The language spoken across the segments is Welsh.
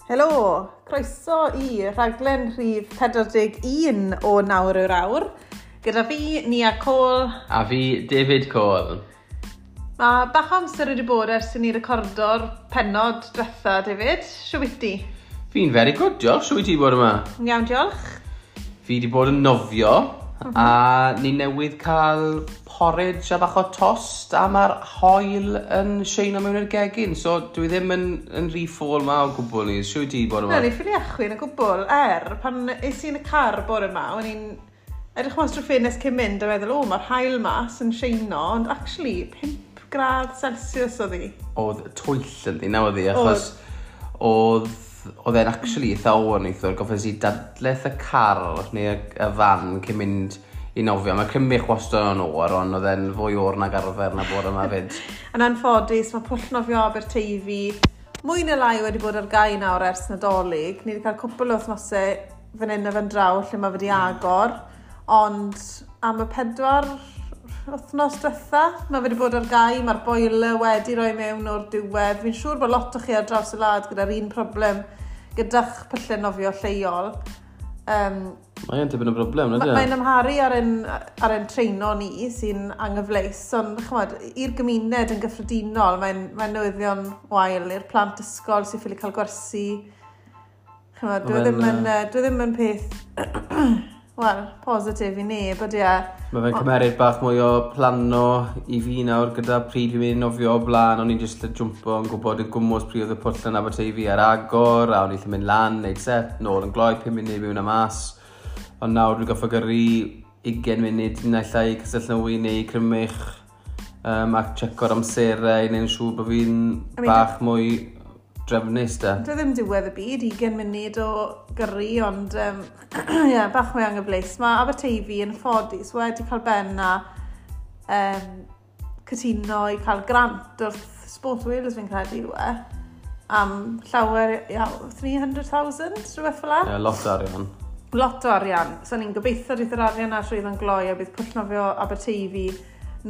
Helo, croeso i rhaglen rhif 41 o Nawr yw'r Awr. Gyda fi, Nia Cole. A fi, David Cole. Mae bach o amser wedi bod ers i ni recordo'r pennod diwetha, David. Shwt wyt ti? Fi'n very good, diolch. Shwt wyt ti bod yma? Iawn, diolch. Fi wedi bod yn nofio, a ni newydd cael porridge a bach o tost, a mae'r haul yn sheino mewn i'r gegin, so dwi ddim yn rhy ffôl ma o gwbl ni. Shwt wyt ti bod yma? Na, ni ffili achwyn o gwbl. Pan es i yn y car bore yma, o'n i'n edrych mas drwy ffenest cyn mynd a meddwl, o, mae'r haul mas yn sheino, ond actually, 5 gradd Celsius oedd hi. Oedd twyll yn ddi, na oedd hi, achos oedd e'n actually eitha oer neithiwr, goffes i dadleth y car neu y fan cyn mynd i nofio. Mae Crymych wastad yn oer, ond oedd e'n fwy oer nag arfer na bod yma fyd. Yn anffodus, mae pwll nofio Aberteifi mwy neu lai wedi bod ar gau nawr ers Nadolig. Ni wedi cael cwpl o wythnosau fan hyn a fan draw lle mae wedi agor, ond am y 4 wythnos diwetha, mae wedi bod ar gau, mae'r boiler wedi rhoi mewn o'r diwedd. Fi'n siŵr bod lot o chi ar draws y wlad gyda'r un problem gyda'ch pyllau nofio lleol. Mae'n tipyn o broblem, nag yw e? Mae'n amharu ar ein treino ni sy'n anghyfleus, ond ch'mod, i'r gymuned yn gyffredinol, mae'n newyddion wael i'r plant ysgol sy'n ffili cael gwersi. Ch'mod, dwi ddim yn peth wel, positif i neb, ydy e. Mae fe'n cymeryd bach mwy o plano i fi nawr gyda pryd fi'n mynd i nofio o blaen, o'n i'n jyst jwmpo yn gwybod yn gwmws pryd oedd y pwll yn Aberteifi ar agor, a o'n i'n mynd lan, neud set, nôl yn gloi, 5 munud mewn a mas. Ond nawr dwi'n goffo gyrru 20 munud naill ai Castell neu Crymych, a checo'r amserau i neud yn siŵr bod fi'n bach mwy drefnus da. Dwi ddim diwedd y byd, 20 munud o gyrru, ond yeah, bach mwy anghyfleus. Mae Aberteifi yn ffodus wedi cael ben a cytuno i cael grant wrth Sport Wales, fi'n credu yw e, am llawer, ia, 300,000, rhywbeth fel 'na. Ie, lot o arian. Lot o arian. So ni'n gobeithio bydd yr arian na trwy ddo'n gloi a bydd pwll nofio Aberteifi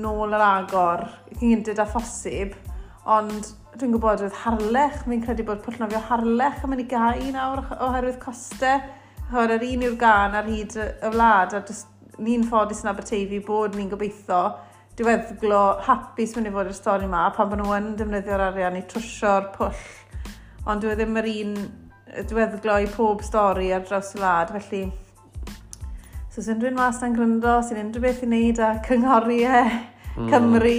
nôl ar agor cyn gynted â phosib. Ond dwi'n gwybod oedd Harlech, fi'n credu bod pwll nofio Harlech yn mynd i gau nawr oherwydd costau. Ch'mod, yr un yw'r gan ar hyd y wlad, a jyst ni'n ffodus yn Aberteifi bod ni'n gobeithio diweddglo hapus mynd i fod i'r stori yma, pan bod nhw yn defnyddio'r arian i trwsio'r pwll. Ond dyw e ddim yr un diweddglo i pob stori ar draws y wlad, felly so os unrhyw un mas na'n gryndo, sy'n unrhyw beth i wneud â cynghori Cymru,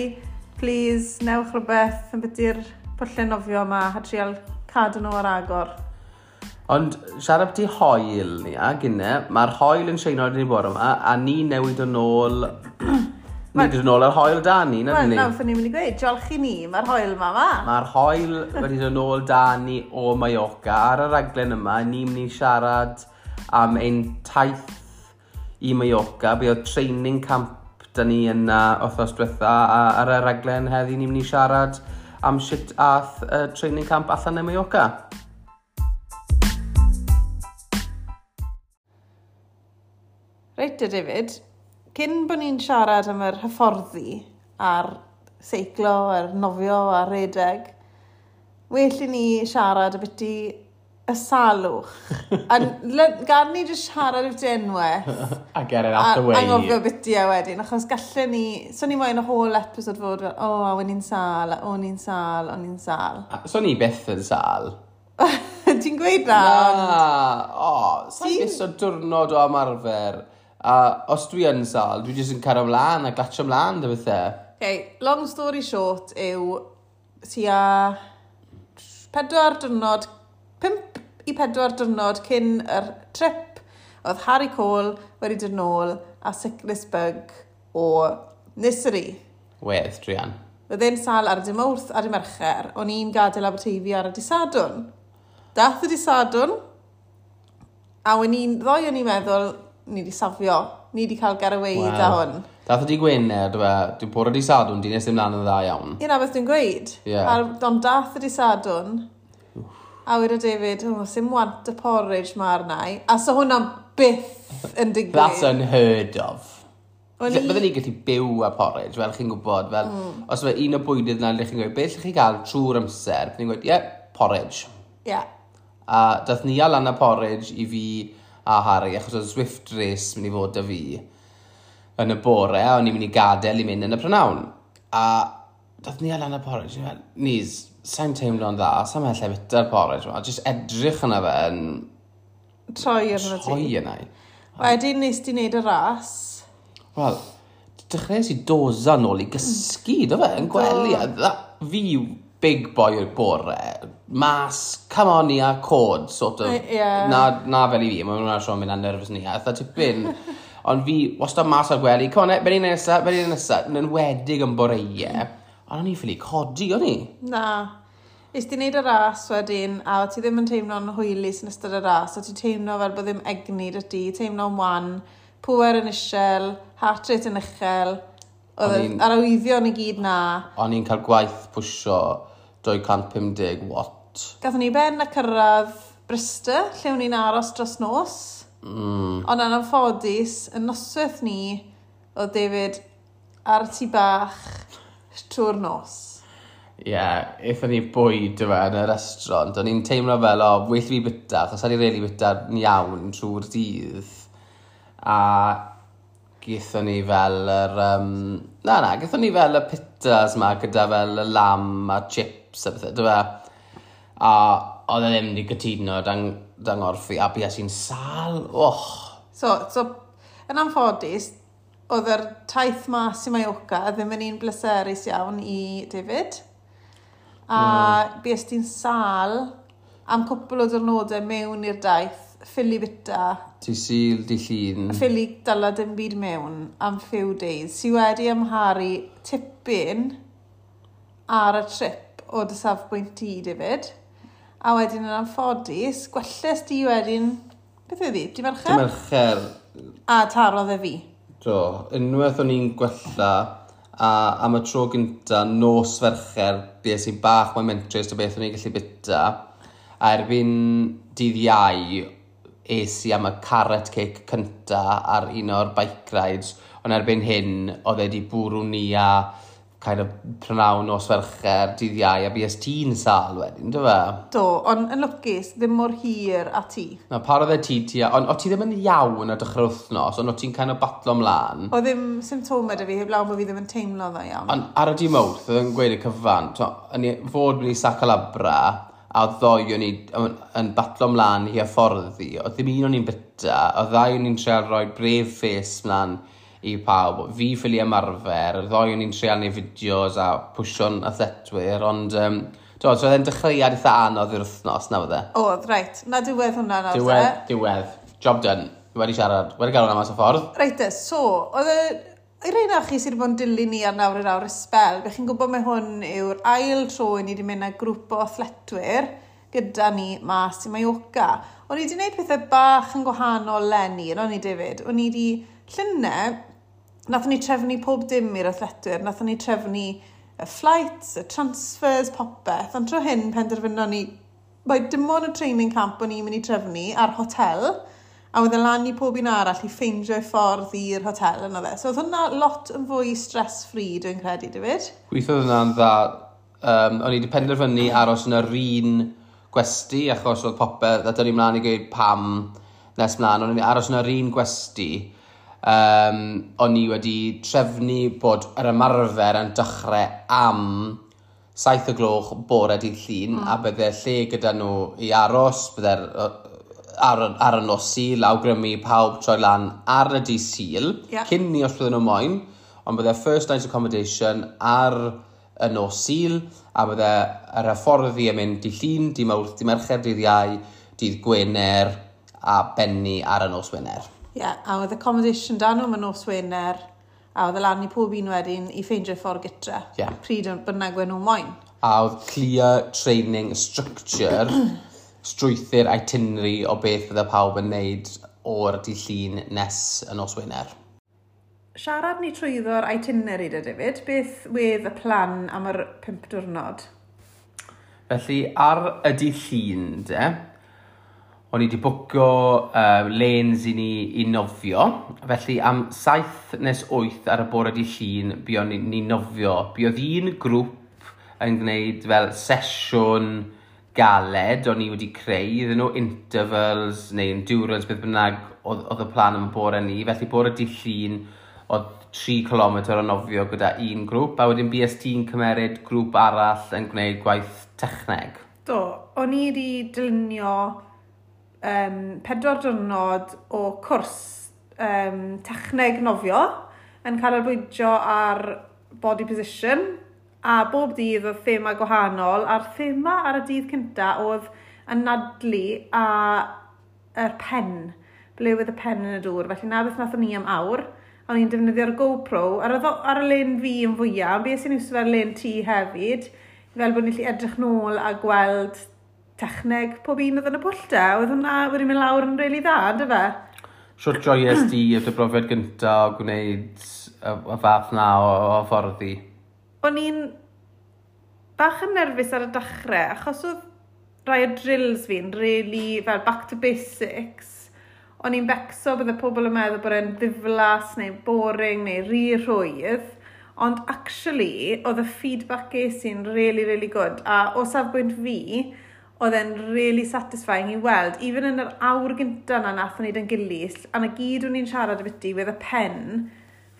please, newch rhywbeth yn beth i'r pwllau nofio yma a trial cadw nhw ar agor. Ond siarad ti hoel ni, a gynne, mae'r hoel yn sheino ar ni bore yma, a ni newid yn ôl... Ni dod yn ôl ar hoel da ni, na ni? Wel, nawr ni'n mynd i gweud, diolch i ni, mae'r hoel yma ma. Mae'r hoel wedi dod yn ôl da ni o Mallorca. Ar y raglen yma, ni'n mynd i siarad am ein taith i Mallorca. Be oedd training camp da ni yna wythnos diwetha, a ar y raglen heddi ni'n mynd i siarad am sut ath training camp allan yn Mallorca. Reit te, David, cyn bod ni'n siarad am yr hyfforddi a'r seiclo, a'r nofio a'r redeg, well i ni siarad ambiti y salwch. A gan ni jyst siarad ambiti unwaith. A get it out the way. A anghofio ambiti e wedyn, achos gallen ni, so ni moyn y whole episode fod fel, o, a o'n i'n sâl, a o'n i'n sâl, o'n i'n sâl. A, so ni byth yn sâl. Ti'n gweud na? Na, o, sa'n byth o diwrnod o ymarfer. A os dwi yn sâl, dwi jyst yn cario ymlaen a glatio ymlaen, dy bethau. Okay, long story short yw tua 4 diwrnod, 5 i 4 diwrnod cyn yr trip, oedd Harry Cole wedi dod nôl a sickness bug o nursery. Wedd, druan. Oedd e'n sâl ar y dydd Mawrth a dydd Mercher, o'n i'n gadael Aberteifi ar y dydd Sadwrn. Dath y dydd Sadwrn, a o'n i'n, ddoe o'n i'n meddwl, ni wedi safio, ni wedi cael get away da hwn. Dath y dydd Gwener, dwi'n bore dydd Sadwrn, di nes ddim lan yn dda iawn. Ie, na beth dwi'n gweud. Ond dath y dydd Sadwrn, a wedodd David, oh, sim want y porridge ma arna i. A so hwnna byth yn digwydd. That's unheard of. Bydden ni'n gallu byw â porridge, fel chi'n gwybod, fel, os mae un o bwydydd na, lle chi'n gweud, beth lle chi gael trwy'r amser, bydden ni'n gweud, ie, porridge. A dath Nia lan â porridge i fi a Harry, achos oedd Zwift Race mynd i fod 'da fi yn y bore, a o'n i'n mynd i gadael i mynd yn y prynawn. A dath Nia lan â porridge, ni'n meddwl, "Nis, sa'n teimlo'n dda, sa'n meddwl lle bita'r porridge ma," jyst edrych yna fe yn troi arno ti. Troi yna i. Wedyn nes ti wneud y ras. Wel, dechreuais i doza nôl i gysgu, do fe, yn gwely. A fi big boy o'r bore, mas, come on Nia, cod, sort of. Na, na fel i fi, mae hwnna'n siŵr mynd â nerves ni, a eitha tipyn. Ond fi, wastad mas o'r gwely, "Come on, be ni'n nesa, be ni'n nesa," yn enwedig yn boreau, ond o'n i ffili codi, o'n i? Na. Nes ti wneud y ras wedyn, a o ti ddim yn teimlo'n hwylus yn ystod y ras, o ti'n teimlo fel bod ddim egni 'da ti, teimlo'n wan, pwer yn isel, heart rate yn uchel, oedd yr arwyddion i gyd na. O'n i'n cael gwaith pwsio 250 watt. Gathon ni ben a cyrraedd Bristol, lle o'n i'n aros dros nos. Ond yn anffodus, y noswaith ni, oedd David ar y tŷ bach trwy'r nos. Ie, yeah, aethon ni bwyd yma yn y restaurant. O'n i'n teimlo fel, o, well fi bita, achos o'n i'n really bita'n iawn trwy'r dydd. A gaethon ni fel yr... Na, gaethon ni fel y pitas ma gyda fel y lamb a chips a bethau, dyfe? A oedd e ddim wedi cytuno dan ngorff i, a bues i'n sâl. Och! So, yn anffodus, oedd yr taith mas i Mallorca ddim yn un bleserus iawn i David. A bues ti'n sâl am cwpl o diwrnodau mewn i'r daith, ffili bita. Dydd Sul, dydd Llun. Ffili dyla dim byd mewn am few days. Sy wedi amharu tipyn ar y trip o dy safbwynt ti, David. A wedyn yn anffodus, gwelles di wedyn, beth oedd hi? Di Mercher? Di Mercher. A tarodd e fi. Do, unwaith o'n i'n gwella, a am y tro gynta, nos Fercher, bues i bach mwy mentrus o beth o'n i'n gallu bita. A erbyn dydd Iau, es i am y carrot cake cynta ar un o'r bike rides, ond erbyn hyn, oedd e wedi bwrw ni a kind of prynawn nos Fercher, dydd Iau, a bues ti'n sâl wedyn, do fe? Do, ond yn lwcus, ddim mor hir a ti. Na, parodd e ti, ond o ti ddim yn iawn ar dechrau'r wythnos, ond o ti'n kind of batlo mlaen. O ddim symptomau 'da fi, heblaw bod fi ddim yn teimlo dda iawn. Ond ar y dydd Mawrth, oedd yn gweud y cyfan, o'n i fod mynd i Sa Calobra, a oedd ddoi o'n i yn batlo mlaen i hyfforddi, oedd ddim un o'n i'n bita, oedd ddau o'n i'n treial rhoi brave face mlaen i pawb. Fi ffili ymarfer, y ddoi o'n i'n treial neud fideos a pwsio'n athletwyr, ond do, so oedd e'n dechreuad eitha anodd i'r wythnos, na fydde? Oedd, reit. Na diwedd hwnna nawr, Diwedd, te. Diwedd. Job done. Wedi siarad, wedi gael hwnna mas o ffordd. Reit te, so, oedd y... I rei na chi sydd wedi bod yn dilyn ni ar Nawr i'r Awr ysbel, fe chi'n gwybod mai hwn yw'r ail tro i ni wedi mynd â grŵp o athletwyr gyda ni mas i Mallorca. O'n i wedi gwneud pethau bach yn gwahanol leni, o'n i, David. O'n i wedi, llynedd, nathon ni trefnu pob dim i'r athletwyr. Nathon ni trefnu y flights, y transfers, popeth. Ond tro hyn penderfynon ni, mae dim ond y training camp o'n i'n mynd i trefnu a'r hotel, a oedd e lan i pob un arall i ffeindio'i ffordd i'r hotel yna fe. So oedd hwnna lot yn fwy stress-free, dwi'n credu, David. Gweithiodd hwnna'n dda. O'n i wedi penderfynu aros yn yr un gwesty, achos oedd popeth, a dyn ni mlaen i gweud pam nes mlaen, o'n i'n aros yn yr un gwesty. O'n i wedi trefnu bod yr ymarfer yn dechrau am 7 o gloch bore dydd Llun, a bydde lle gyda nhw i aros, bydde'r ar y nos Sul, awgrymu pawb troi lan ar y dydd Sul, cyn ni os bydden nhw moyn, ond bydde first night accommodation ar y nos Sul, a bydde yr hyfforddi yn mynd dydd Llun, dydd Mawrth, dydd Mercher, dydd Iau, dydd Gwener, a benni ar y nos Wener. Ie, yeah, a oedd accommodation da nhw am y nos Wener, a oedd e lan i pob un wedyn i ffeindio'i ffordd gytre. Pryd bynnag wen nhw moyn. A oedd clear training structure, strwythur itinerary o beth fydde pawb yn neud o'r dydd Llun nes y nos Wener. Siarad ni trwyddo'r itinerary da, David. Beth wedd y plan am yr 5 diwrnod? Felly, ar y dydd Llun, de, o'n i wedi bwcio lanes i ni i nofio. Felly, am 7 nes 8 ar y bore dydd Llun, buon ni nofio. Buodd un grŵp yn gwneud fel sesiwn galed o'n i wedi creu iddyn nhw, intervals neu endurance, beth bynnag oedd y plan am y bore ni. Felly bore dydd Llun oedd 3 km o nofio gyda un grŵp, a wedyn BST yn cymeryd grŵp arall yn gwneud gwaith techneg. Do, o'n i wedi dylunio 4 diwrnod o cwrs techneg nofio yn canolbwyntio ar body position, a bob dydd oedd thema gwahanol, a'r thema ar y dydd cynta oedd anadlu a yr pen, ble oedd y pen yn y dŵr. Felly na beth nathon ni am awr. O'n i'n defnyddio'r GoPro ar y len fi yn fwyaf, ond beth sy'n iwso fe'r len ti hefyd, fel bod ni'n gallu edrych nôl a gweld techneg pob un oedd yn y pwll de. Oedd hwnna wedi mynd lawr yn rili dda, on'd fe? Shwt joies di o dy brofiad gynta o gwneud y fath na o hyfforddi? O'n i'n bach yn nerfus ar y dechrau, achos oedd rai o drills fi'n really fel back to basics. O'n i'n becso bydde pobl yn meddwl bod e'n ddiflas neu boring neu rhy rhwydd. Ond actually, oedd y feedback ges i'n really, really good. A o safbwynt fi, oedd e'n really satisfying i weld, even yn yr awr gynta na nathon ni 'da'n gilydd, a na gyd o'n i'n siarad ambiti, with y pen,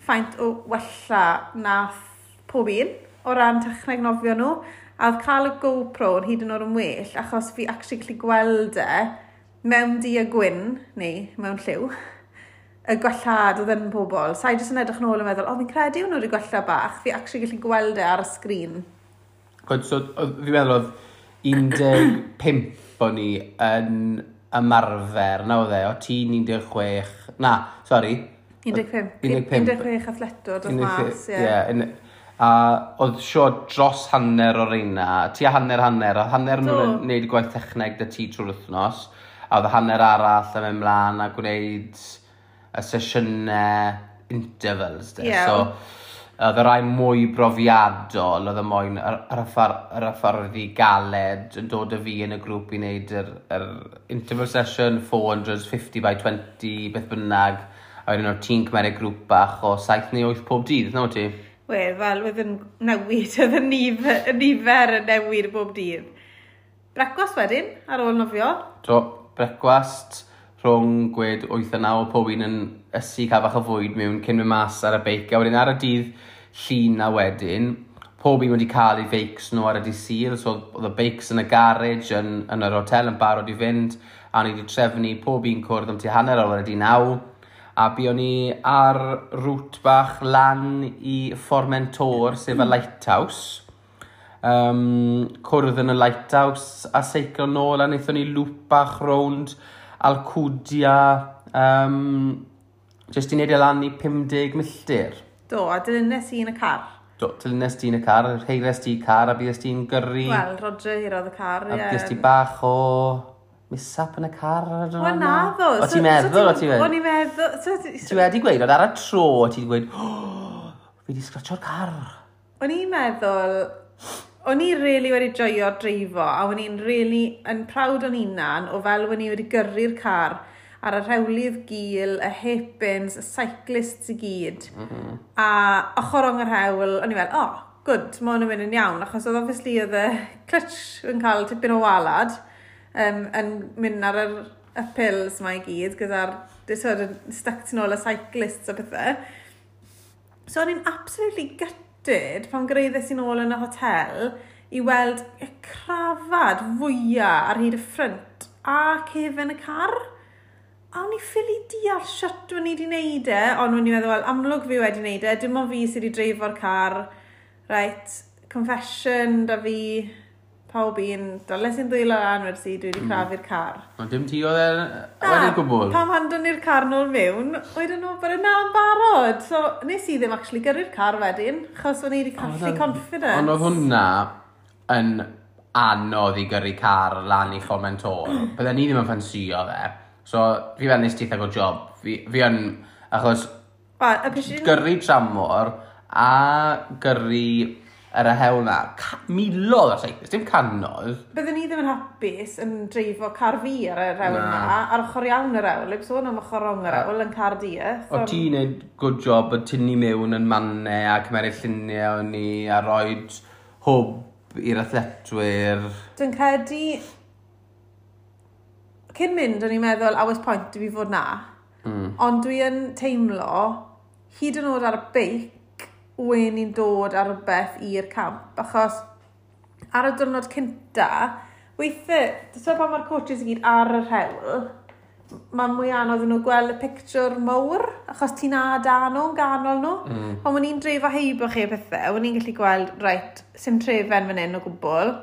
faint o wella nath pob un o ran techneg nofio nhw. A oedd cael y GoPro yn hyd yn oed yn well, achos fi actually gallu gweld e mewn du a gwyn, neu mewn lliw, y gwellhad oedd yn pobl. Sa'i jyst yn edrych nôl yn meddwl, "O, fi'n credu nhw wedi gwella bach." Fi actually gallu gweld e ar y sgrin. Good, so, fi'n meddwl oedd 15 o'n ni yn ymarfer, na oedd e, o ti'n 16, na, sori. 15. 15. 16 athletwr dod mas, ie. Yeah, a oedd sio dros hanner o'r reina, ti a hanner hanner, a hanner nhw'n gwneud gwaith techneg 'da ti trwy'r wythnos, a oedd hanner arall yn mynd mlaen a gwneud y sesiynau intervals. De. So, oedd y rai mwy brofiadol, oedd y moyn yr hyfforddi galed yn dod â fi yn y grŵp i wneud yr interval session 450 by 20, beth bynnag. A wedyn o'r ti'n cymeryd grŵp bach o 7 neu 8 pob dydd, na ti? Wel, fel oedd yn newid, oedd y nifer yn newid bob dydd. Brecwast wedyn, ar ôl nofio. Do, brecwast rhwng gwed 8 a 9, pob un yn ysu cael bach o fwyd mewn cyn mynd mas ar y beic. A wedyn ar y dydd Llun na wedyn, pob un wedi cael ei feics nhw ar y dydd Sul, so oedd y beics yn y garage yn yr hotel yn barod i fynd, a ni wedi trefnu pob un cwrdd am tua 9:30, a buon ni ar route bach lan i Formentor, sef y lighthouse. Cwrdd yn y lighthouse a seiclo nôl, a wnaethon ni loop bach rownd Alcudia, jyst i wneud e lan i 50 milltir. Do, a dilynes i yn y car. Do, dilynes ti yn y car, heires ti car a bues ti'n gyrru. Wel, Roger heirodd y car, ie. A bues ti bach o mishap yn y car? Wel, na ddo. O ti'n meddwl, o ti'n meddwl? O'n i'n meddwl. Ti wedi gweud, ond ar y tro, ti wedi gweud, "Oh, fi wedi sgratio'r car." O'n i'n meddwl, o'n i really wedi joio'r dreifo, a o'n i'n really yn proud o'n hunan o fel o'n i wedi gyrru'r car ar y rhewlydd gul, y hairpins, y cyclists i gyd. A ochr rong yr hewl, o'n i fel, "Oh, good, mae hwn yn mynd yn iawn," achos oedd obviously oedd y clutch yn cael tipyn o walad, yn mynd ar yr uphills ma i gyd, gyda'r sort of, stuck tu nôl y cyclists a pethau. So o'n i'n absolutely gutted pan gyrhaeddes i nôl yn y hotel i weld y crafad fwyaf ar hyd y ffrynt a cefen y car. A o'n i ffili deall shwt o'n i wedi wneud e, ond o'n i'n meddwl, wel, amlwg fi wedi wneud e, dim ond fi sydd wedi dreifo'r car. Right, confession da fi, pawb un, dales i'n ddwylo lan wersi, dwi wedi crafu'r car. Ond dim ti oedd e wedi gwbl? Pam handon ni'r car nôl mewn, oedden nhw bod yna'n barod. So, nes i ddim actually gyrru'r car wedyn, achos o'n i wedi colli confidence. Ond oedd hwnna yn anodd i gyrru car lan i Formentor. Bydden ni ddim yn ffansio fe. So, fi fel nes ti eitha good job. Fi yn, achos Wel, y pishin gyrru tramor a gyrru ar y hewl na, miloedd o cyclists, dim cannoedd. Bydden ni ddim yn hapus yn dreifo car fi ar yr hewl na, ar ochr iawn yr hewl, heb sôn am ochr rong yr hewl yn car di. O ti'n neud good job o tynnu mewn yn mannau a cymeryd lluniau o'n ni a roed hwb i'r athletwyr? Dwi'n credu, cyn mynd, o'n i'n meddwl, a oes pwynt i fi fod na. Ond dwi yn teimlo, hyd yn oed ar y beic, wen i'n dod ar rhywbeth i'r camp, achos ar y diwrnod cynta, weithiau, so pan mae'r coaches i gyd ar yr hewl, mae'n mwy anodd nhw gweld y picture mawr, achos ti'n a da nhw, yn ganol nhw. Pan o'n i'n dreifo heibio chi a pethau, o'n i'n gallu gweld, reit, sim trefen fan hyn o gwbl.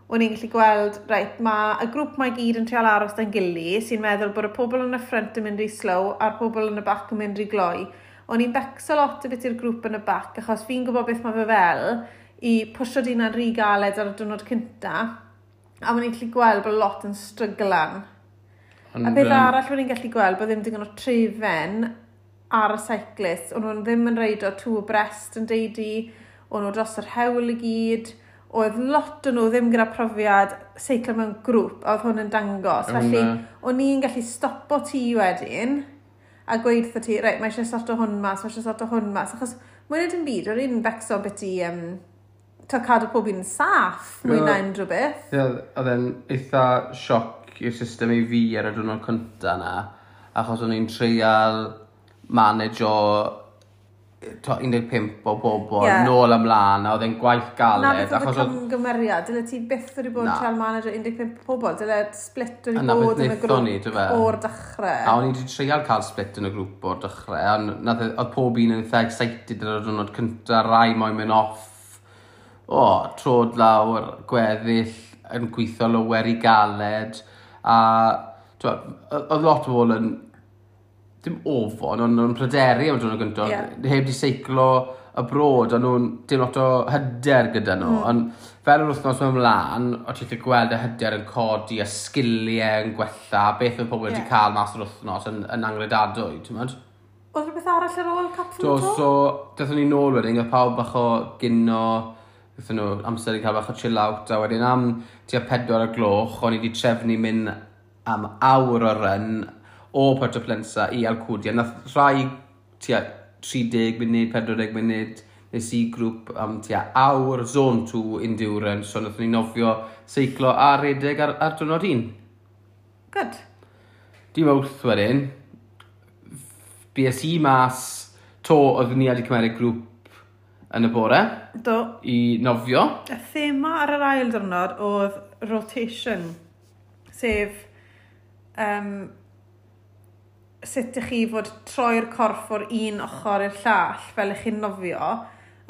O'n i'n gallu gweld, reit, mae y grŵp mae gyd yn trial aros da'n gili, sy'n meddwl bod y pobl yn y front yn mynd rhy slow a'r pobl yn y back yn mynd rhy gloi. O'n i'n becso lot o beth i'r grŵp yn y back, achos fi'n gwybod beth mae fe fel i pwsio dina'n rhy galed ar y diwrnod cynta, a o'n i'n gallu gweld bod lot yn stryglan. A beth arall o'n i'n gallu gweld bod ddim digon o trefen ar y cyclist. O'n nhw'n ddim yn reido two abreast yn deudi, o'n nhw dros yr hewl i gyd, oedd lot o nhw ddim gyda profiad seiclo mewn grŵp, a oedd hwn yn dangos. Felly, o'n i'n gallu stopo ti wedyn, a gweud wrtho ti, reit, mae eisiau sorto hwn mas, mae eisiau sorto hwn mas, achos mwy na dim byd, o'n i'n becso beth i to cadw pob un yn saff, mwy na unrhyw beth. Ie, oedd e'n eitha sioc i'r system i fi ar y diwrnod cynta na, achos o'n i'n treial manage o 15 o bobl nôl ymlaen, a oedd e'n gwaith galed. Na beth oedd y camgymeriad, dyle ti byth wedi bod yn treial manage o 15 o bobl, dyle split wedi bod yn y grŵp o'r dechrau. A o'n i wedi treial cael split yn y grŵp o'r dechrau, a oedd pob un yn eitha excited ar y diwrnod cynta, rai moyn mynd off, o, trod lawr, gweddill yn gweithio lower i galed, a oedd lot o bobl yn dim ofon, ond nhw'n pryderu am y diwrnod gyntaf, heb di seiclo abroad, ond nhw'n dim lot o hyder gyda nhw. Ond fel yr wythnos mewn mlaen, o ti'n gallu gweld y hyder yn codi, a sgiliau yn gwella, beth oedd pobl wedi cael mas o'r wythnos yn angredadwy, ti'n mynd? Oedd rhywbeth arall ar ôl Cap Do, so, daethon ni nôl wedyn, oedd pawb bach o gino, daethon nhw amser i cael bach o chill out, a wedyn am tua 4 o gloch, o'n i wedi trefnu mynd am awr o run o Puerto Pollensa i Alcudia. Nath rhai tua 30 munud, 40 munud, nes i grŵp am tua awr, zone 2 endurance, so nathon ni nofio, seiclo a redeg ar diwrnod un. Good. Di Mawrth wedyn, BSE mas, to oedd ni wedi cymeryd grŵp yn y bore. Do. I nofio. Y thema ar yr ail diwrnod oedd rotation, sef sut ych chi fod troi'r corff o'r un ochr i'r llall fel ych chi'n nofio.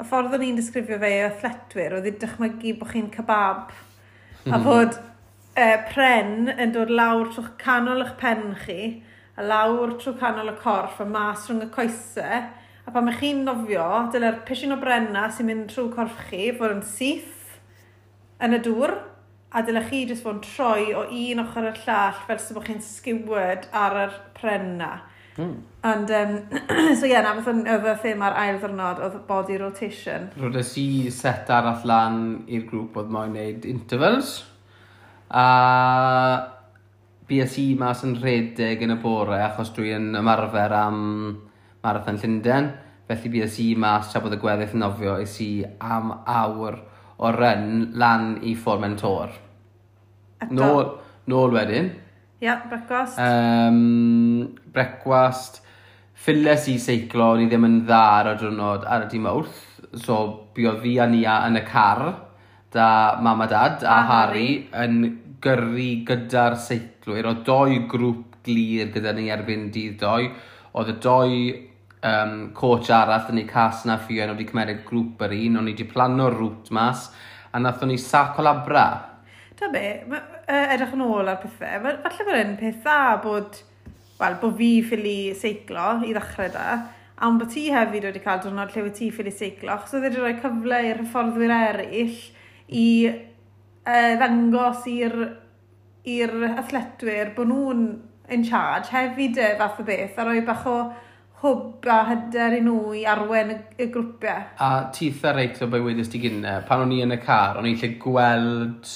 Y ffordd o'n i'n disgrifio fe i athletwyr oedd i dychmygu bod chi'n kebab a fod pren yn dod lawr trwy canol eich pen chi a lawr trwy canol y corff a mas rhwng y coesau. A pan ych chi'n nofio, dyle'r pishin o brenna sy'n mynd trwy corff chi fod yn syth yn y dŵr, a dyle chi jyst fod yn troi o un ochr i'r llall fel sy'n bod chi'n skewered ar yr pren na. And, so ie, yeah, na beth oedd y thema'r ail ddwrnod, oedd body rotation. Rodes i set arall lan i'r grŵp oedd moyn wneud intervals. A BSE mas yn rhedeg yn y bore, achos dwi'n ymarfer am Marathon Llundain. Felly BSE mas tra bod y gweddill yn nofio, es i am awr o run lan i Formentor. Eto. Nôl wedyn. Ie, yeah, brecwast. Brecwast. Ffiles i seiclo, o'n i ddim yn dda ar y diwrnod ar y dydd Mawrth. So, buodd fi a Nia yn y car, da mam a dad a A Harry Harry. yn gyrru gyda'r seiclwyr. Oedd doi grŵp glir gyda ni erbyn dydd doi. Oedd y doi coach arall yn ei cas na Ffion wedi cymeryd grŵp yr un, o'n i wedi plano'r route mas, a nathon ni Sa Colabra. Ta be, edrych yn ôl ar pethau, falle bod e'n peth dda bod, wel, bod fi ffili seiclo i ddechrau da, a ond bod ti hefyd wedi cael diwrnod lle wyt ti ffili seiclo, achos oedd wedi rhoi cyfle i'r hyfforddwyr eraill i ddangos i'r athletwyr bod nhw'n in charge hefyd y fath o beth, a rhoi bach o hwb a hyder i nhw i arwen y grwpiau. A ti eitha reit o be wedys ti gynne, pan o'n i yn y car, o'n i'n lle gweld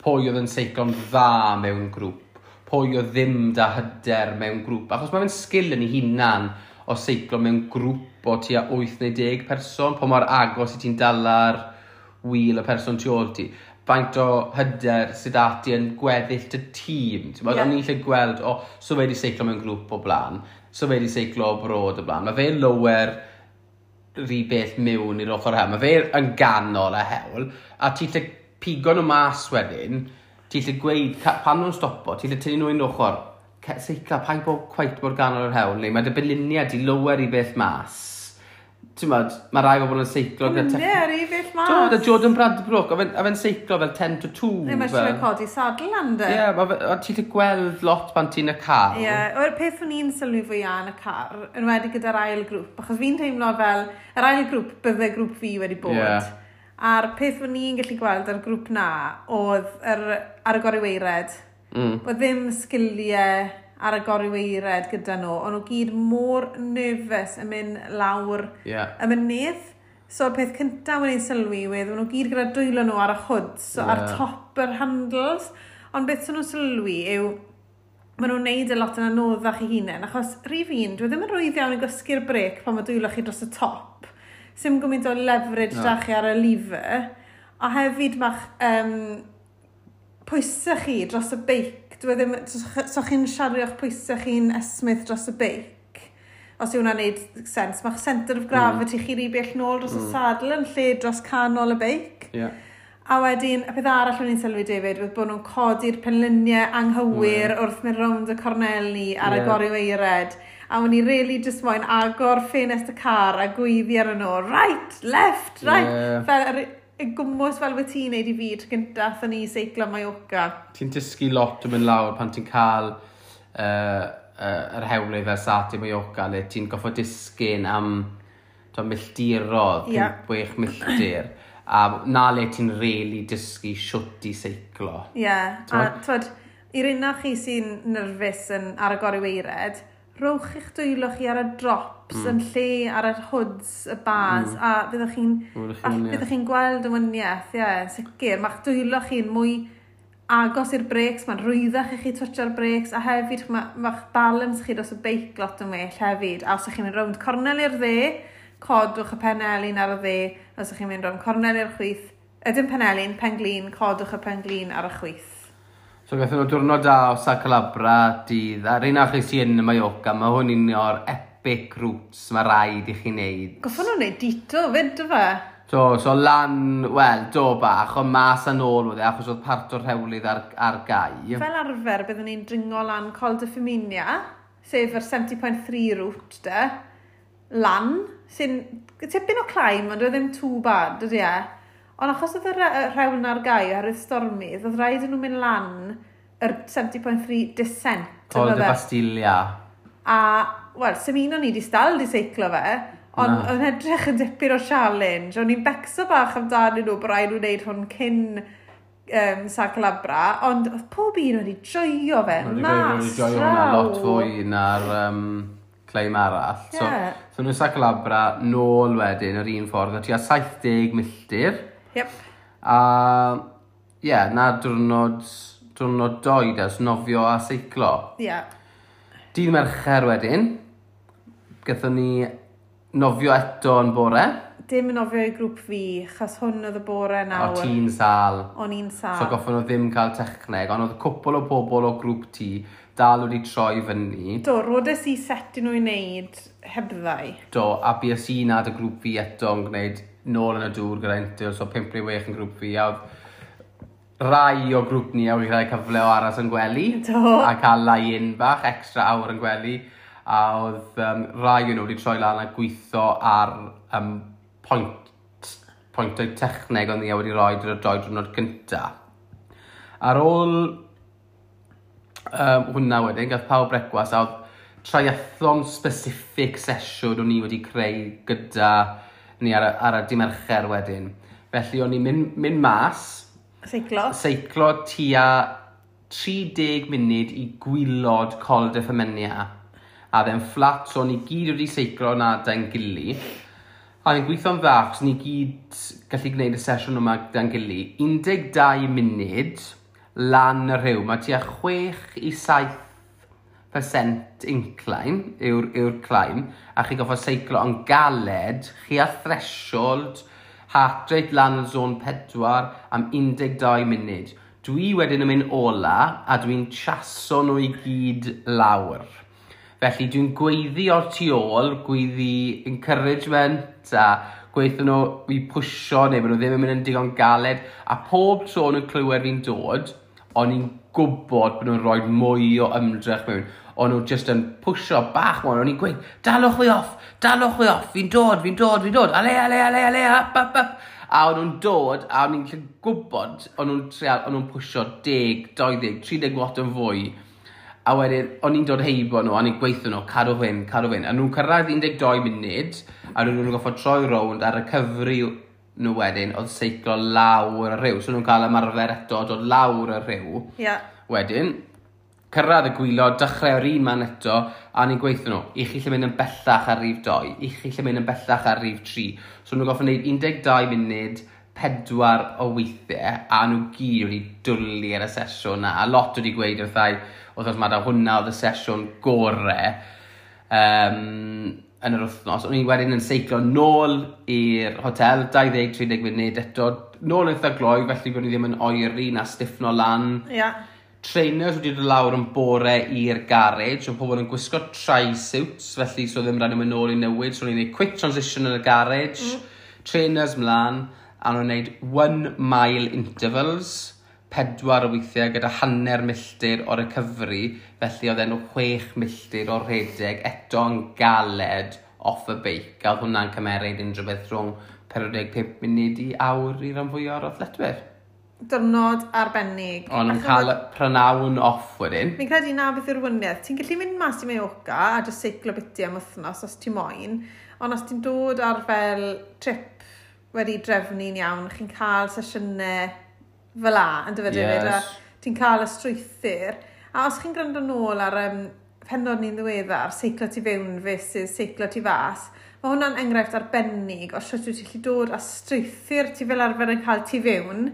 pwy oedd yn seiclo'n dda mewn grŵp, pwy oedd ddim da hyder mewn grŵp. Achos mae'n sgil yn ei hunan o seiclo mewn grŵp o tua 8 neu 10 person, pa mor agos i ti'n dala'r wheel y person tu ôl ti. Faint o hyder sydd ati yn gweddill dy tîm. Ti'n yeah. O'n i'n lle gweld, o, so fe wedi seiclo mewn grŵp o blaen, so fe wedi seiclo o brod o blaen. Mae fe lower rhy bell mewn i'r ochr hewl. Mae fe yn ganol y hewl, a ti'n lle pigo nhw mas wedyn, ti'n lle gweud, pan nhw'n stopo, ti'n lle tynnu nhw un ochr, seicla, paid bod cweit mor ganol yr hewl, neu mae dy beluniad i lower i bell mas. Ti'n modd, mae rai bobl yn seiclo... Ie, rhy bell mas. Do, da Jordan Bradbrook, a fe'n seiclo fel 10 to 2. Neu mae eisiau codi sadl lan, de. Ie, yeah, ti'n gallu gweld lot pan ti'n y car. Ie, yeah, o'r peth o'n i'n sylwi fwyaf yn y car, yn wedi gyda'r ail grŵp, achos fi'n teimlo fel, yr ail grŵp bydde grŵp fi wedi bod. Yeah. A'r peth o'n i'n gallu gweld ar grŵp na oedd ar y goriweired. Bod ddim sgiliau ar y goriweired gyda nhw, ond nhw gyd mor nervous yn mynd lawr y mynydd. So y peth cyntaf o'n i'n sylwi oedd, nhw gyd gyda dwylo nhw ar y hoods, so ar top yr handles. Ond beth sy'n nhw'n sylwi yw, maen nhw'n neud y lot yn anoddach i hunain, achos rhif un, dwi ddim yn rwydd iawn i gwasgu'r brêc pan mae dwylo chi dros y top. Sim gymaint o leverage da chi ar y lever. A hefyd mae'ch pwysau chi dros y beic. Dwi ddim, so chi'n siario'ch pwysau chi'n esmyth dros y beic. Os yw hwnna'n neud sens. Mae'ch centre of gravity chi rhy bell nôl dros y sadl yn lle dros canol y beic. Yeah. A wedyn, y peth arall o'n i'n sylwi, David, oedd bod nhw'n codi'r penluniau anghywir wrth mynd rownd y corneli ar y goriweired. A o'n i really just moyn agor ffenest y car a gweiddi ar nhw, right, left, right. Yeah. Fel, y gwmwys fel wyt ti'n neud i fi tro gyntaf athon ni seiclo Mallorca. Ti'n dysgu lot yn mynd lawr pan ti'n cael yr hewlydd fel Sati Mallorca, le ti'n goffo disgyn am milltirodd, 5-6 milltir. A na le ti'n really dysgu shwt i seiclo. Ie, yeah. A twod, i'r un chi sy'n nerfus yn, ar y goriweired, rowch eich dwylo chi ar y drops yn lle ar yr hoods, y bars, a fyddwch chi'n fyddwch chi'n gweld y wyniaeth, ie, sicr. Mae'ch dwylo chi'n mwy agos i'r brakes, mae'n rwyddach i chi twtio'r brakes, a hefyd mae'ch balance chi dros y beic lot yn well hefyd. A os ydych chi'n mynd rownd cornel i'r dde, codwch y penelin ar y dde. Os ydych chi'n mynd rownd cornel i'r chwith, ydyn penelin, penglin, codwch y penglin ar y chwith. So gathon nhw diwrnod da o Sa Calabra dydd, a'r un achos sy'n yn y Mallorca, mae hwn un o'r epic routes mae rhaid i chi wneud. Goffon nhw'n wneud dito fyd, do fe? So lan, wel, do bach, ond mas a nôl oedd e, achos oedd part o'r rhewlydd ar gau. Fel arfer, byddwn ni'n dringo lan Col de Feminia, sef yr 70.3 route de, lan, sy'n tipyn o climb, ond oedd ddim too bad, dydy e? Ond achos oedd y rhewl ar gau oherwydd stormydd, oedd rhaid i nhw mynd lan yr 70.3 descent. Col de Bastilia. A, wel, sy'm un o'n i di stal di seiclo fe, ond o'n edrych yn dipyn o challenge. O'n i'n becso bach amdanyn nhw, bod rhaid nhw wneud hwn cyn Sa Calabra, ond oedd pob un wedi joio fe, mas wedi joio hwnna lot fwy na'r climb arall. Yeah. So nhw'n Sa Calabra nôl wedyn yr un ffordd, a tua 70 milltir. Yep. A, ie, yeah, na diwrnod doed ers nofio a seiclo. Ie. Yeah. Dydd Mercher wedyn, gathon ni nofio eto yn bore. Dim yn nofio i grŵp fi, chos hwn oedd y bore nawr. O, ti'n sal. O'n i'n sal. So goffon nhw ddim cael techneg, ond oedd cwpl o bobl o grŵp ti dal wedi troi fyny. Do, rodes i set i nhw i wneud hebddau. Do, a bues i nad y grŵp fi eto yn gwneud nôl yn y dŵr gyda Intel, so 5 neu 6 yn grŵp fi, a oedd rai o grŵp ni a wedi cael cyfle o aros yn gwely. Do. A cael lie-in bach, extra awr yn gwely. A oedd rai o'n nhw wedi troi lan a gweithio ar pwyntau techneg oedd ni wedi rhoi drwy'r doi diwrnod gynta. Ar ôl hwnna wedyn, gath pawb brecwast, a oedd triathlon specific sesiwn o'n i wedi creu gyda ni ar y dydd Mercher wedyn. Felly o'n i'n mynd mas. Seiclo. Seiclo tua 30 munud i gwylod Col de Femenia. A dde'n fflat, so o'n i gyd wedi seiclo na da'n gili. A o'n gweithio'n dda, achos ni gyd gallu gwneud y sesiwn yma da'n gili. 12 munud lan y rhyw. Mae tua 6 i 7% incline yw'r climb, a chi goffo seiclo yn galed, chi ar threshold Heart rate lan yn zone 4 am 12 munud. Dwi wedyn yn mynd ola a dwi'n chaso nhw i gyd lawr. Felly dwi'n gweiddi o'r tu ôl, gweiddi encouragement a gweithio nhw i pwsio neu bod nhw ddim yn mynd yn digon galed. A pob tro nhw'n clywed fi'n dod, o'n i'n gwybod bod nhw'n rhoi mwy o ymdrech mewn. O'n nhw just yn pwsio bach mwy. O'n i'n gweud, "Dalwch fi off, dalwch fi off, fi'n dod, fi'n dod, fi'n dod, ale, ale, ale, ale, up, up, up." A o'n nhw'n dod, a o'n i'n gallu gwybod, o'n nhw'n trial, o'n nhw'n pwsio 10, 20, 30 watt yn fwy. A wedyn, o'n i'n dod heibo nhw, o'n i'n gweithio nhw, "Cadw fynd, cadw fynd." A nhw'n cyrraedd 12 munud, a nhw'n goffod troi rownd a recovery nhw wedyn, oedd seiclo lawr y rhiw. So nhw'n cael ymarfer eto, dod lawr y rhiw. Wedyn, cyrraedd y gwaelod, dechrau o'r un man eto, a ni'n gweithio nhw, "I chi lle mynd yn bellach ar rif 2, i chi lle mynd yn bellach ar rif 3." So nhw'n goffod gwneud 12 munud, pedwar o weithiau, a nhw gyd wedi dwlu ar y sesiwn na. A lot wedi gweud wrthai, wrth ma hwnna oedd y sesiwn gore yn yr wythnos. O'n i wedyn yn seiclo nôl i'r hotel, 20-30 munud eto, nôl eitha gloi, felly bod ni ddim yn oeri na stiffno lan. Trainers wedi dod lawr yn bore i'r garage, oedd pobl yn gwisgo tri-suits, felly so ddim rhaid nhw'n nôl i newid, so o'n i'n gwneud quick transition yn y garage, trainers mlaen, a nhw'n gwneud 1 mile intervals, pedwar o weithiau gyda hanner milltir o recovery, felly oedd e'n 6 milltir o rhedeg eto'n galed off y beic, a oedd hwnna'n cymeryd unrhyw beth rhwng 45 munud i awr i ran fwy o'r athletwyr. Diwrnod arbennig. O'n nhw'n cael prynawn off wedyn. Fi'n credu na beth yw'r wahaniaeth. Ti'n gallu mynd mas i Mallorca a just seiclo biti am wythnos os ti moyn, ond os ti'n dod ar fel trip wedi drefnu'n iawn, chi'n cael sesiynau fel 'a, yn dyfe, David? Yes. A ti'n cael y strwythur. A os chi'n gwrando nôl ar pennod ni'n ddiweddar, seiclo tu fewn versus seiclo tu fas, mae hwnna'n enghraifft arbennig o sut wyt ti'n gallu dod â strwythur ti fel arfer yn cael tu fewn,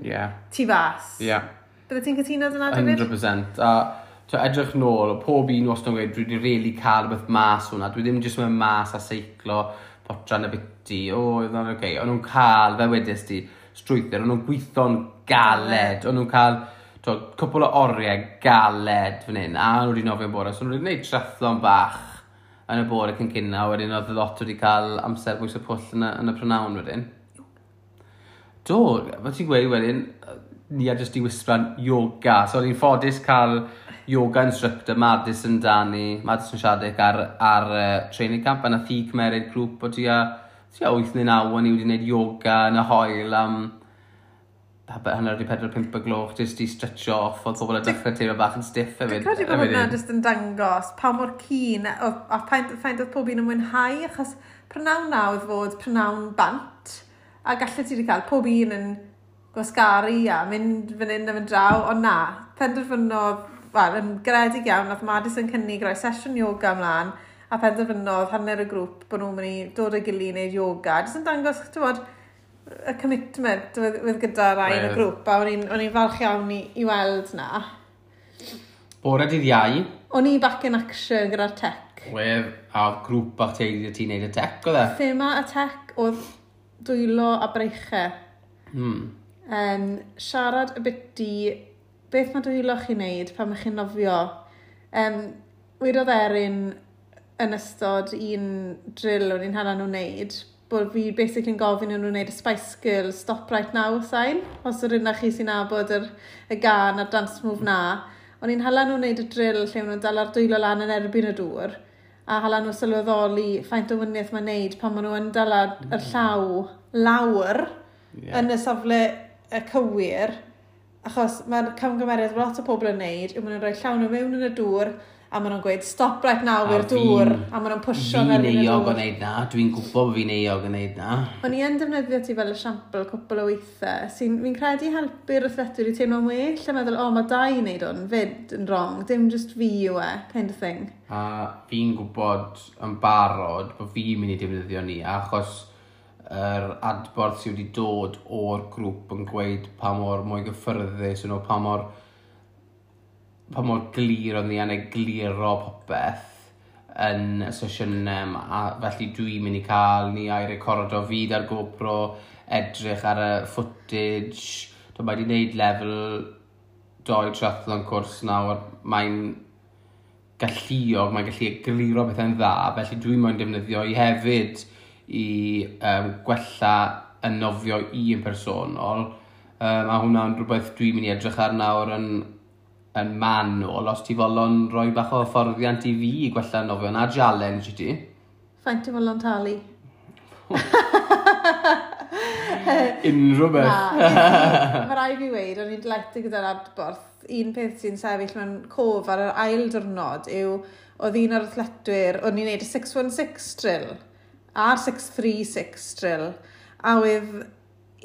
tu fas. Bydde ti'n cytuno dyna, David? 100%. A to, edrych nôl, pob un wastad yn gweud, dwi wedi really cael rhywbeth mas hwnna. Dwi ddim jyst mynd mas a seiclo, potran y biti, o, oedd hwnna'n oce. O'n nhw'n cael, fel wedes di, strwythur, o'n nhw'n gweithio'n galed, o'n nhw'n cael to, cwpl o oriau galed fan hyn, a nhw wedi nofio'n bore, so nhw wedi gwneud triathlon bach yn y bore cyn cyn, a wedyn oedd lot wedi cael amser bwys y pwll yn y prynawn wedyn. Do, fel ti'n gweud wedyn, ni a jyst i wisran yoga. So o'n i'n ffodus cael yoga instructor Madison Dani, Madison Shaddick ar training camp, a nath hi cymeryd grŵp o tua 8 neu 9 o'n i wedi gwneud yoga yn y haul am 3:30, 5 y gloch, jyst i stretcho off, oedd pobl yn dechrau teimlo bach yn stiff hefyd. Dwi'n credu bod hwnna jyst yn dangos pa mor keen a faint oedd pob un yn mwynhau, achos prynawn na oedd fod prynawn bant, a gallet ti wedi cael pob un yn gwasgaru a mynd fan hyn a mynd draw, ond na, penderfynodd, wel, yn garedig iawn, nath Madison cynnig rhoi sesiwn yoga ymlaen, a penderfynodd hanner y grŵp bod nhw'n mynd i dod â'i gilydd i wneud yoga. Jyst yn dangos, ti'n bod, y commitment oedd gyda rai yn y grŵp, a o'n i'n falch iawn i weld na. Bore dydd Iau. O'n i back in action gyda'r tech. Wedd, a oedd grŵp bach teulu ti'n neud y tech, oedd e? Thema y tech oedd dwylo a breichau. Siarad y biti beth mae dwylo chi'n neud pan mae chi'n nofio. Wedodd Erin yn ystod un drill o'n i'n hala nhw'n neud, bod fi basically yn gofyn i nhw'n wneud y Spice Girls "Stop Right Now" sign, os yw'r un chi sy'n nabod y gân a'r dance move na. O'n i'n hala nhw'n wneud y drill lle maen nhw'n dala'r dwylo lan yn erbyn y dŵr, a hala nhw sylweddoli faint o wahaniaeth mae'n neud pan maen nhw yn dala yr llaw lawr yn y safle y cywir, achos mae'r camgymeriad mae lot o pobl yn neud, yw maen nhw'n rhoi llaw nhw mewn yn y dŵr, a maen nhw'n gweud "Stop right now" i'r dŵr, a maen nhw'n pwsio yn erbyn y dŵr. Fi'n euog o wneud na, dwi'n gwybod bod fi'n euog o wneud na. O'n i yn defnyddio ti fel esiampl cwpl o weithiau, sy'n fi'n credu helpu'r athletwyr i teimlo'n well, a meddwl, "O, mae dau i wneud hwn, fyd yn wrong, dim just fi yw e," kind of thing. A fi'n gwybod yn barod bod fi'n mynd i defnyddio ni, achos yr adborth sydd wedi dod o'r grŵp yn gweud pa mor mwy gyffyrddus nhw, pa mor glir oedd ni yn egluro popeth yn y sesiynau yma, a felly dwi'n mynd i cael ni a'i recordo fi ar GoPro, edrych ar y footage. Do, mae wedi gwneud lefel 2 triathlon cwrs nawr. Mae'n galluog, mae'n gallu egluro pethau'n dda, felly dwi'n moyn defnyddio i hefyd i gwella y nofio i yn personol. A hwnna'n rhywbeth dwi'n mynd i edrych ar nawr yn manwl, os ti folon rhoi bach o hyfforddiant i fi i gwella nofio, na challenge i ti. Faint ti folon talu? Unrhyw beth. Na, mae rhaid fi weud, o'n i'n delighted gyda'r adborth. Un peth sy'n sefyll mewn cof ar yr ail diwrnod yw, oedd un o'r athletwyr, o'n i'n neud y 616 drill, a'r 636 drill, a oedd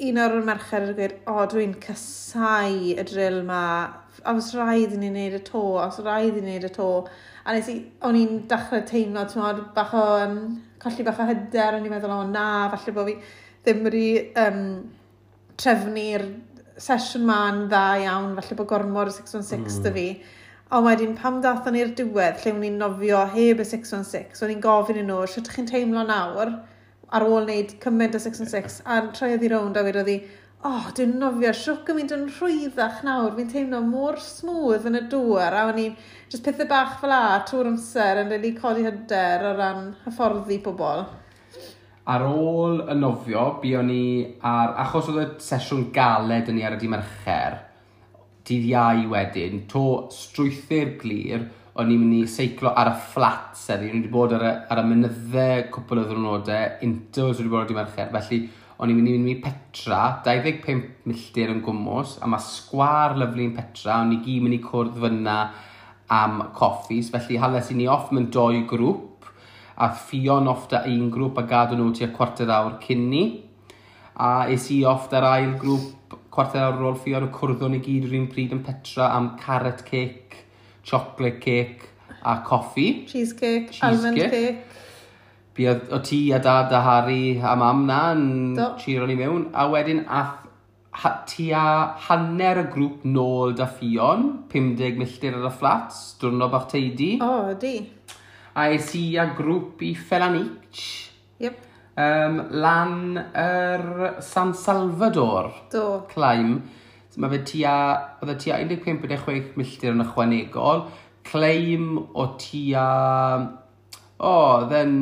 un o'r merched yn gweud, "O, dwi'n casau y drill ma, a os rhaid i ni wneud y to, os rhaid i ni wneud y to." A nes i, o'n i'n dechrau teimlo, ti'n modd, bach o, colli bach o hyder, o'n i'n meddwl, "O na, falle bod fi ddim wedi trefnu'r sesiwn ma'n dda iawn, falle bod gormod o 616 'da fi." Ond wedyn, pam dathon ni'r diwedd, lle o'n i'n nofio heb y 616, o'n i'n gofyn i nhw, "Sut ydych chi'n teimlo nawr, ar ôl wneud cymaint o 616?" A troedd i rownd a wedodd hi, "O, oh, dwi'n nofio siwc yn mynd yn rhwyddach nawr, fi'n teimlo mor smooth yn y dŵr," a o'n i'n, just pethau bach fel 'a, trwy'r amser, yn really codi hyder o ran hyfforddi pobl. Ar ôl y nofio, buon ni ar... Achos oedd y sesiwn galed yn ni ar y dydd Mercher, dydd Iau wedyn, to strwythur glir, o'n i'n mynd i seiclo ar y flats heddi. O'n i wedi bod ar y mynyddau cwpl o ddwrnodau, intervals wedi bod ar y dydd Mercher, felly o'n i'n mynd i mynd i Petra, 25 milltir yn gwmws, a mae sgwar lyfli yn Petra, o'n i gyd mynd i cwrdd fyna am coffis, felly hales i ni off mewn doi grŵp, a Ffion off da un grŵp a gadw nhw tua cwarter awr cyn ni. A es i off da'r ail grŵp cwarter awr ar ôl Ffion, a cwrddon ni gyd yr un pryd yn Petra am carrot cake, chocolate cake a coffi. Cheesecake, almond Cheesecake. Cake. Buodd o ti a dad a Harry a mam na yn cheero ni mewn. A wedyn ath tua hanner y grŵp nôl da Ffion, 50 milltir ar y flats, diwrnod bach teidi. O, ydi. A es i a grŵp i Felanitx, lan yr San Salvador climb. So mae fe tua, oedd e tua 15.6 milltir yn ychwanegol. Climb o tua, o, oedd e'n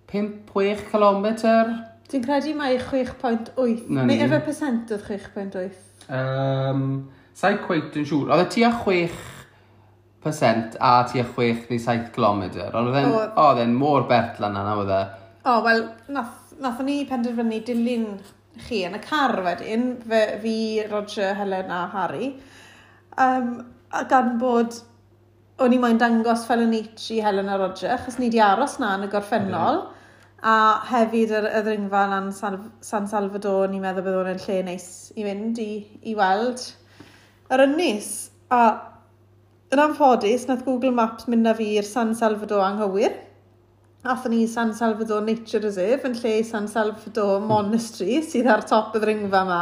5-6 km. Dwi'n credu mai 6.8. Na Neu ni. efe percent oedd 6.8? Sa'i cweit yn siŵr. Oedd e tua 6% a tua 6 neu 7 km. Ond oedd e'n Oedd. oedd e'n mor bert lan yna, oedd e. O, wel, nathon ni penderfynu dilyn chi yn y car wedyn, fi, Roger, Helen a Harry. A gan bod o'n i moyn dangos Felanitx i Helen a Roger, achos ni di aros na yn y gorffennol. A hefyd y ddringfa lan San Salvador, ni'n meddwl bydd hwn yn lle neis i fynd i weld yr ynys. A yn anffodus, nath Google Maps mynd â fi i'r San Salvador anghywir. Athon ni i San Salvador Nature Reserve yn lle San Salvador Monastery sydd ar top y ddringfa yma.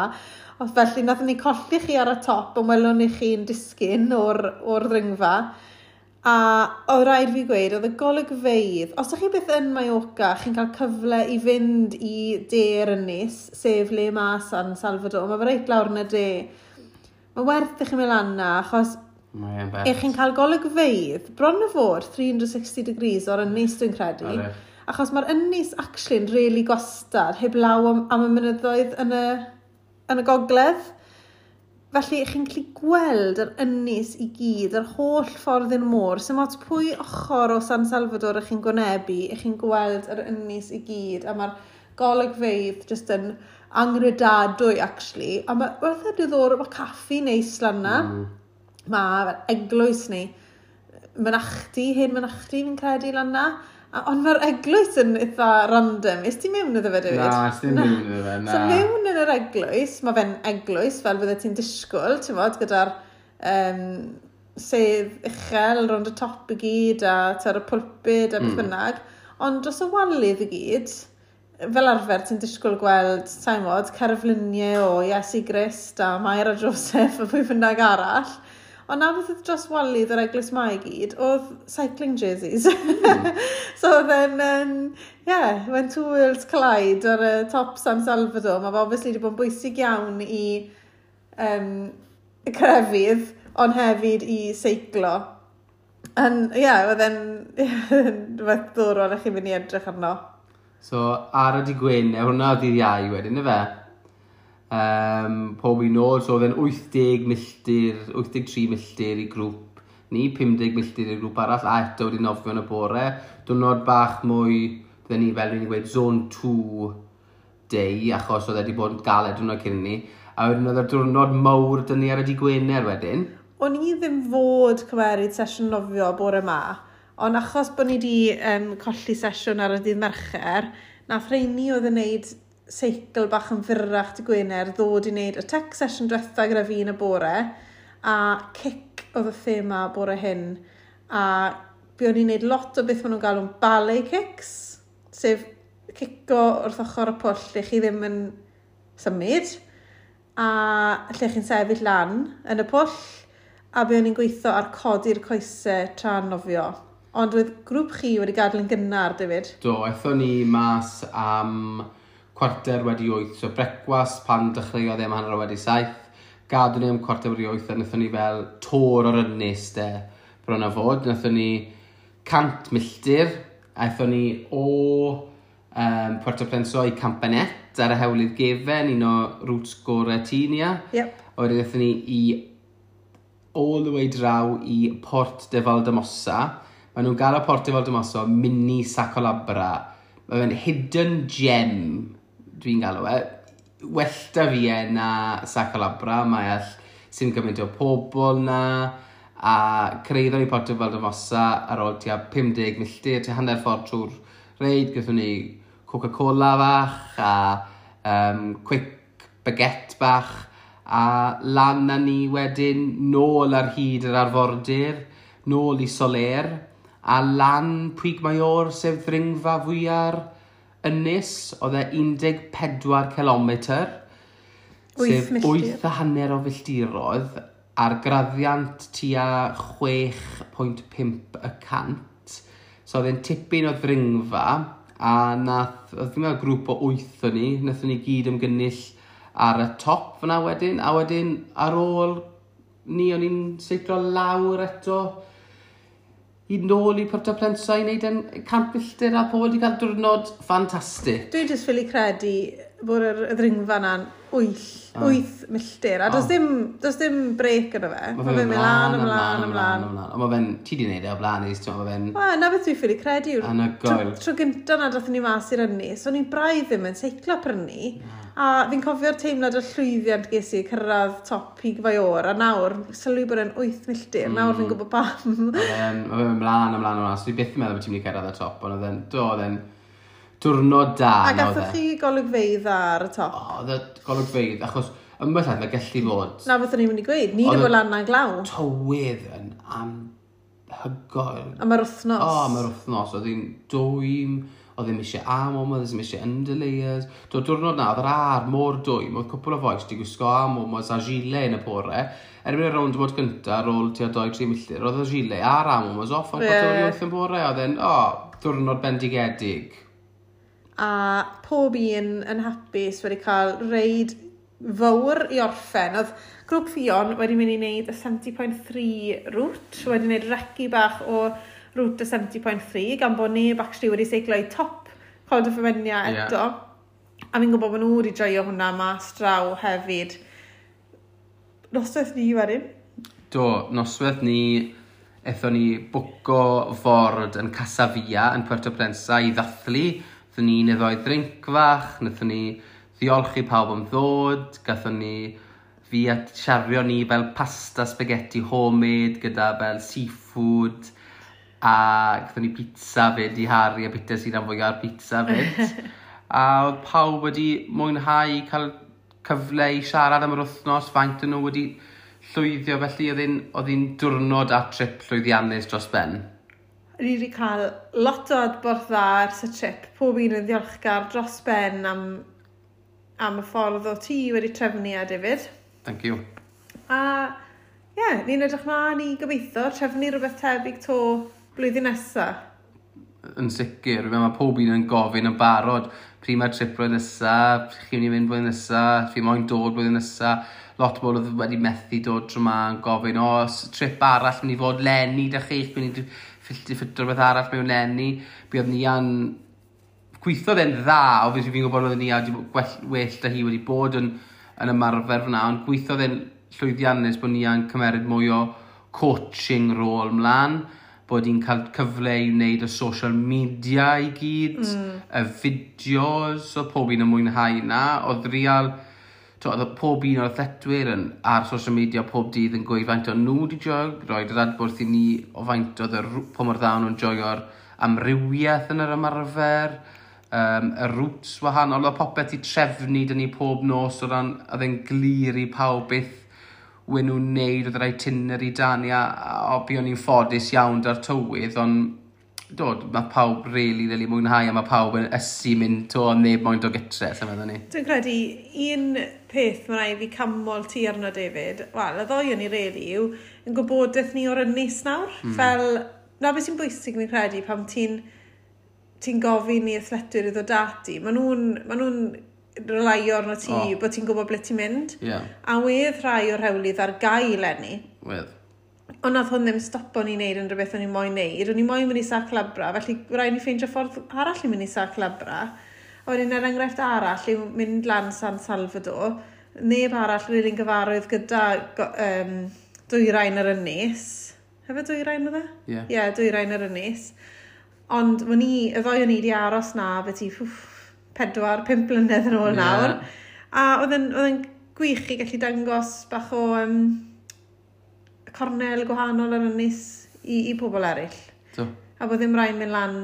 Os felly nathon ni colli chi ar y top ond welwn ni chi'n disgyn o'r ddringfa. A oedd rhaid fi gweud, oedd y golygfeydd, os ydych chi byth yn Mallorca, chi'n cael cyfle i fynd i de'r ynys, sef le ma San Salvador, mae fe reit lawr yn y de. Mae werth i chi mynd lan na, achos Mae'n bert. Ych chi'n cael golygfeydd bron o fod 360 degrees o'r ynys, dwi'n credu. Odi. Achos mae'r ynys actually'n really gwastad, heblaw am y mynyddoedd yn y gogledd. Felly, chi'n gallu gweld yr ynys i gyd, yr holl ffordd i'r môr. Sdim ots pwy ochr o San Salvador ych chi'n gwynebu, ych chi'n gweld yr ynys i gyd. A mae'r golygfeydd just yn angredadwy, actually. A mae wrth y diddorol, mae caffi neis lan na. Mae eglwys neu mynachdy, hen mynachdy fi'n credu lan na. Ond mae'r eglwys yn eitha random. Is ti mewn iddo fe, David? Na, es ddim mewn iddo fe, na. So mewn yn yr eglwys, mae fe'n eglwys fel bydde ti'n disgwyl, ti'n fod, gyda'r sedd uchel rownd y top i gyd a ar y pulpud a beth bynnag. Ond dros y walydd i gyd, fel arfer ti'n disgwyl gweld, sa'n mod, cerfluniau o Iesu Grist a Mair a Joseph a pwy bynnag arall. Ond na beth oedd dros walydd yr eglwys ma i gyd, oedd cycling jerseys. So oedd e'n, yeah, when two worlds collide ar y top San Salvador, mae fe obviously wedi bod yn bwysig iawn i y crefydd, ond hefyd i seiclo. And, yeah, oedd e'n rhywbeth ddorol i chi fynd i edrych arno. So, ar y dydd Gwener, hwnna oedd dydd Iau wedyn, ife? Pob un nôl, so oedd e'n 80 milltir, 83 milltir i grŵp ni, 50 milltir i'r grŵp arall, a eto wedi nofio yn y bore. Diwrnod bach mwy, bydden ni fel ni'n gweud, zone 2 day, achos oedd e wedi bod yn galed diwrnod cyn ni. A wedyn oedd y diwrnod mawr dyn ni ar y dydd Gwener wedyn. O'n i ddim fod cymeryd sesiwn nofio bore ma, ond achos bod ni wedi colli sesiwn ar y dydd Mercher, nath rheini oedd yn neud seicl bach yn fyrrach dydd Gwener ddod i wneud y tech session diwetha gyda fi yn y bore, a cic oedd y thema bore hyn, a buon ni'n neud lot o beth maen nhw'n galw'n ballet kicks, sef cico wrth ochr y pwll lle chi ddim yn symud, a lle chi'n sefyll lan yn y pwll, a buon ni'n gweithio ar codi'r coesau tra'n nofio. Ond oedd grŵp chi wedi gadael yn gynnar, David. Do, aethon ni mas am 8:15, so brecwast pan dechreuodd e am 7:30. Gadw ni am 8:15 a wnaethon ni fel tour o'r ynys de, bron a fod. Wnaethon ni 100 milltir, aethon ni o Puerto Plenso i Campanet ar y hewlydd gefen, un o routes gorau Tinia. A wedyn aethon ni i all the way draw i Port de Valldemossa. Maen nhw'n gael o Port de Valldemossa mini Sa Colabra. Mae fe'n hidden gem, dwi'n galw e. Well da fi e na Sa Colabra. Mae all sy'n gymaint o pobl na. A cyrhaeddon ni Port de Valldemossa ar ôl tua 50 milltir, tua hanner ffordd trwy'r reid. Gaethon ni Coca-Cola fach a quick baguette bach a lan â ni wedyn nôl ar hyd yr arfordir, nôl i Soler, a lan Puig Mayor, sef ddringfa fwyar ynys, oedd e 14 km, 8 sef milltir. 8.5 o filltiroedd, ar graddiant tua 6.5%. So oedd e'n tipyn o ddringfa, a nath, oedd fi'n meddwl grŵp o wyth o ni, nathon ni gyd ymgynnull ar y top fyna wedyn, a wedyn ar ôl ni, o'n i'n seiclo lawr eto i nôl i Puerto Plensa i wneud yn 100 milltir a pobl wedi cael diwrnod ffantastig. Dwi'n just ffili credu bod yr ddringfa na'n 8 milltir. A does dim break yno fe. Mae fe'n mynd lan, ymlaen, ymlaen. Ymlaen. Ond mae fe'n, ti di wneud e o blaen, Is, ti'n mae fe'n Wel, na beth dwi'n ffili credu yw'r anhygoel. Tro gynta na dathon ni mas i'r ynys, o'n i'n braidd ddim yn seiclo prynu. A fi'n cofio'r teimlad o llwyddiant ges i cyrraedd top Pig Faor, a nawr, sylwi bod e'n 8 milltir, nawr fi'n gwybod pam. Mae fe'n ymlaen, ymlaen, ymlaen. So dwi byth yn meddwl bod ti'n mynd i cyrraedd y top, ond oedd e'n, do, oedd e'n diwrnod da. A na oedd gathoch e. chi golygfeydd ar y top? O, oedd y golygfeydd, achos ymwell mae gallu fod Na beth o'n i'n mynd i gweud, ni Oedd wedi y bod lan na'n glaw. Tywydd yn anhygoel. Am yr wythnos. O, am yr wythnos, oedd hi'n dwym, oedd ddim eisiau arm warmers, oedd ddim eisiau underlayers. Do, diwrnod na, oedd yr aer mor dwym, oedd cwpl o fois di gwisgo arm warmers a gilet yn y bore. Erbyn y rownd mod gynta, ar ôl tua 2-3 milltir, oedd y gilet a'r arm warmers off am 7:45 yn bore. Oedd e'n, o, diwrnod bendigedig. A pob un yn hapus wedi cael reid fawr i orffen. Oedd grŵp Fion wedi mynd i wneud y 70.3 route, wedi wneud recce bach o route y 70.3, gan bod neb actually wedi seiclo i top Col de Femenia eto. A fi'n gwybod bod nhw wedi joio hwnna mas draw hefyd. Noswaith ni wedyn. Do, noswaith ni, aethon ni bwco ford yn Casa Via yn Puerto Plensa i ddathlu. Wnaethon ni un neu ddoi drink fach, wnaethon ni ddiolch i pawb am ddod, gathon ni fi a siario ni fel pasta spaghetti homemade gyda fel seafood a gathon ni pizza fyd i Harry a pizza sy'n fwy ar pizza fyd. A oedd pawb wedi mwynhau cael cyfle i siarad am yr wythnos, faint yn nhw wedi llwyddio, felly oedd hi'n diwrnod a trip llwyddiannus dros ben. Ni wedi cael lot o adborth dda ers y trip. Pob un yn ddiolchgar dros ben am y ffordd o ti wedi trefnu a David. Thank you. A ie, yeah, ni'n edrych mlaen i gobeithio trefnu rhywbeth tebyg to blwyddyn nesaf. Yn sicr, mae pob un yn gofyn yn barod pryd mae'r trip blwyddyn nesaf, chi'n mynd i fynd blwyddyn nesaf, chi moyn dod blwyddyn nesaf. Lot o bobl oedd wedi methu dod tro 'ma yn gofyn, o, os trip arall mynd i fod leni da chi, chi'n mynd i ffitio rhywbeth arall mewn leni. Buodd ni yn gweithio fe'n dda, obviously fi'n gwybod oedd ni a well da hi wedi bod yn ymarfer fyna, ond gweithio fe'n llwyddiannus bod ni yn cymeryd mwy o coaching rôl mlaen, bod hi'n cael cyfle i wneud y social media i gyd, y fideos, oedd pob un yn mwynhau na, oedd real, to, oedd pob un o'r athletwyr yn, ar social media pob dydd yn gweud faint o nhw wedi joio, roed yr adborth i ni o faint oedd y, pa mor dda nhw'n joio'r amrywiaeth yn yr ymarfer, y routes wahanol, oedd popeth i trefnu dyn ni pob nos o ran, oedd e'n glir i pawb beth wen nhw'n neud, oedd yr itinerary da ni, a buon ni'n ffodus iawn da'r tywydd, ond dod, mae pawb really, really mwynhau a mae pawb yn ysu mynd to a neb moyn dod gytre, sy'n meddwl ni. Dwi'n credu un peth mae rhaid fi canmol ti arno, David, wel, y ddoi o'n i really yw, yn gwybodaeth ni o'r ynys nawr. Fel, na beth sy'n bwysig fi'n credu pan ti'n gofyn i athletwyr i ddod ati, maen nhw'n ma nhw relyo arno ti bod ti'n gwybod ble ti'n mynd. A wedd rhai o'r hewlydd ar gael eleni. Wedd. Ond nath hwn ddim stopo ni wneud unrhyw beth o'n i moyn wneud. O'n i moyn mynd i Sa Calobra, felly rhaid ni ffeindio ffordd arall i mynd i Sa Calobra. A wedyn er enghraifft arall yw mynd lan San Salvador. Neb arall rili'n gyfarwydd gyda dwyrain yr ynys. Hefyd dwyrain oedd e? Ie. Ie, dwyrain yr ynys. Ond o'n i, y ddoi o'n i wedi aros na beth i 4, 5 blynedd yn ôl nawr. A oedd yn gwych i gallu dangos bach o cornel gwahanol ar ynys i pobl eraill. So, A bod ddim rhaid mynd lan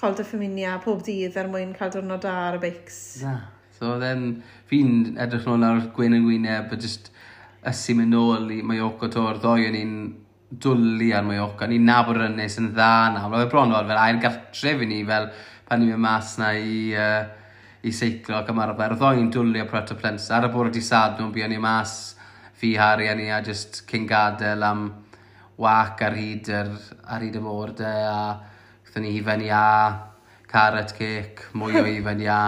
Col de Femenia pob dydd er mwyn cael diwrnod da ar y beics. Na. So then, fi'n edrych nôl ar gwên yn gwyneb a just ysu mynd nôl i Mallorca to'r ddoi o'n i'n dwlu ar Mallorca. Ni'n nabod yr ynys yn dda nawr. Oedd e bron fel ail gartref i ni fel pan ni'n mynd mas na i seiclo ac ymarfer. Oedd ni'n dwlu ar Puerto Pollensa. Ar y bore di Sadwrn, buon ni mas fi, Harry a ni a just cyn gadael am wac ar hyd y môr de a gaethon ni hufen iâ, carrot cake, mwy o hufen iâ,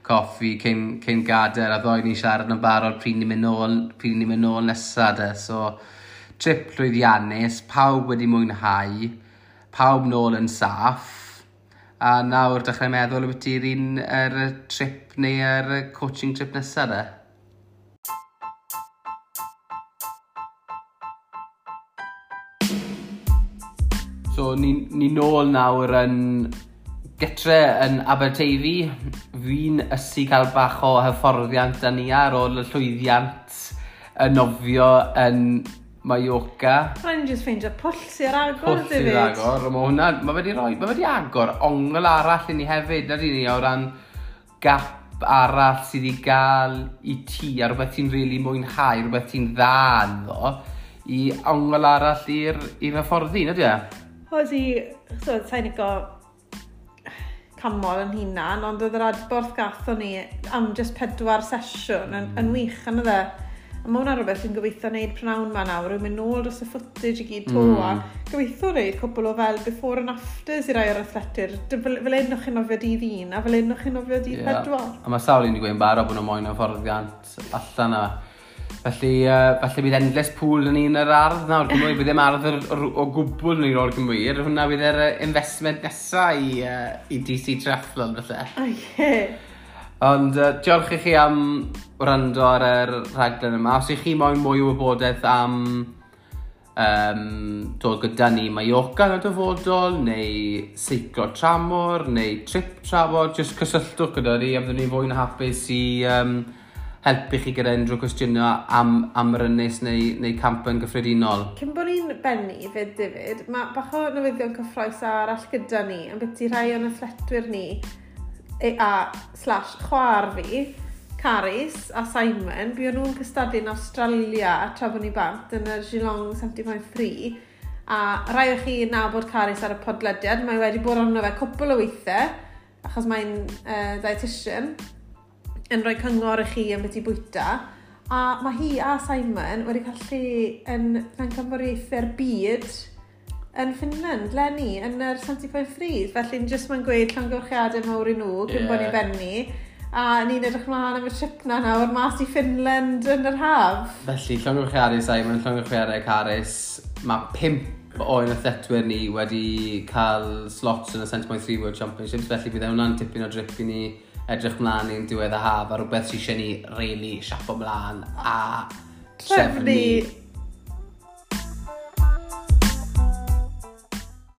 coffi cyn gadael a ddoi ni siarad yn barod pryd ni'n mynd nôl nesa de. So, trip llwyddiannus, pawb wedi mwynhau, pawb nôl yn saff, a nawr dechrau meddwl ambiti'r un yr trip neu yr coaching trip nesa de. So, ni nôl nawr yn gytre yn Aberteifi. Fi'n ysu cael bach o hyfforddiant â ni ar ôl y llwyddiant y nofio yn Mallorca. Rhaid ni just ffeindio pwll sy'n ar agor, Pwll sydd David. agor. Mae hwnna, mae wedi agor ongl arall i ni hefyd, na ni, o ran gap arall sydd i gael i ti, a rhywbeth ti'n rili really mwynhau, rhywbeth ti'n dda ynddo, i ongl arall i'r hyfforddi, na di e? Oedd i, so, sa'n lico canmol yn hunan, ond oedd yr adborth gathon ni am just pedwar sesiwn yn wych, yn oedd e. A mae hwnna rhywbeth dwi'n gobeithio wneud prynawn ma nawr, yw mynd nôl dros y footage i gyd to, a gobeithio wneud cwpl o fel before and afters i rai o'r athletwyr. Fel un o'ch chi'n nofio dydd 1, a fel un o'ch chi'n nofio dydd 4. A mae sawl un wedi gweud yn barod bod nhw'n moyn hyfforddiant allan yna. Felly bydd endless pool yn un yr ardd nawr. Cymru, bydd ddim ardd o gwbl yn o'r Gymru. Hwna bydd yr investment nesa i DC Triathlon, felly. O ie. Ond diolch i chi am wrando ar yr rhaglen yma. Os ych chi moyn mwy o wybodaeth am dod gyda ni Mallorca yn y dyfodol, neu seiclo tramor, neu trip tramor, jyst cysylltwch gyda ni, a byddwn ni fwy na hapus i helpu chi gyda unrhyw cwestiynau am yr ynys neu camp yn gyffredinol. Cyn bod ni'n bennu fyd, David, mae bach o newyddion cyffrous arall gyda ni, yn byti rhai o'n athletwyr ni, a slash chwaer fi, Caris a Simon, buon nhw'n cystadlu yn Australia tra bod ni bant yn y Geelong 70.3 a rai o chi nabod Caris ar y podlediad, mae wedi bod arno fe cwpl o weithiau achos mae'n dietitian yn rhoi cyngor i chi am beth i bwyta. A mae hi a Simon wedi cael lle yn pencampwriaethau'r byd yn Finland, 'leni, yn yr 70.3. Felly, ni jyst mae'n gweud llongyfarchiadau mawr i nhw cyn bod ni'n benni. A ni'n edrych mlaen am y trip na nawr mas i Finland yn yr haf. Felly, llongyfarchiadau Simon, llongyfarchiadau Carys. Mae pump o'n athletwyr ni wedi cael slots yn y 70.3 World Championships, felly bydd hwnna'n tipyn o drip i ni edrych mlaen i'n diwedd y haf a rhywbeth sydd eisiau ni really siapo mlaen a trefnu.